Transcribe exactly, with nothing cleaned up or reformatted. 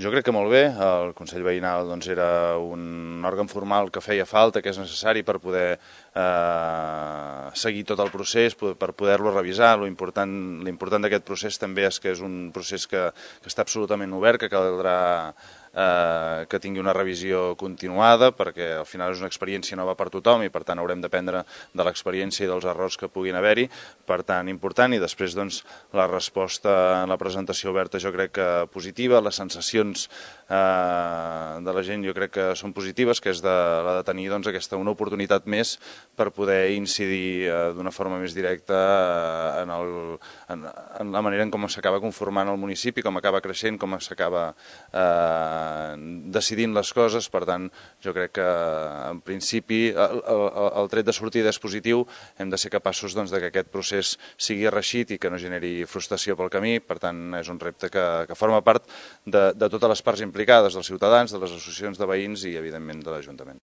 Jo crec que molt bé. El Consell Veïnal doncs, era un òrgan formal que feia falta, que és necessari per poder eh, seguir tot el procés, per poder-lo revisar. L'important d'aquest procés també és que és un procés que, que està absolutament obert, que caldrà eh, que tingui una revisió continuada, perquè al final és una experiència nova per tothom i per tant haurem d'aprendre de l'experiència i dels errors que puguin haver-hi. Per tant, important. I després doncs, la resposta en la presentació oberta jo crec que positiva, les sensacions eh, de la gent jo crec que són positives, que és de, la de tenir doncs, aquesta, una oportunitat més per poder incidir eh, d'una forma més directa eh, en, el, en, en la manera en com s'acaba conformant el municipi, com acaba creixent, com s'acaba eh, decidint les coses. Per tant, jo crec que en principi el, el, el tret de sortida és positiu. Hem de ser capaços doncs, de que aquest procés sigui reeixit i que no generi frustració pel camí. Per tant, és un repte que, que forma part de, de totes les parts implicades, dels ciutadans, de les associacions de veïns i, evidentment, de l'Ajuntament.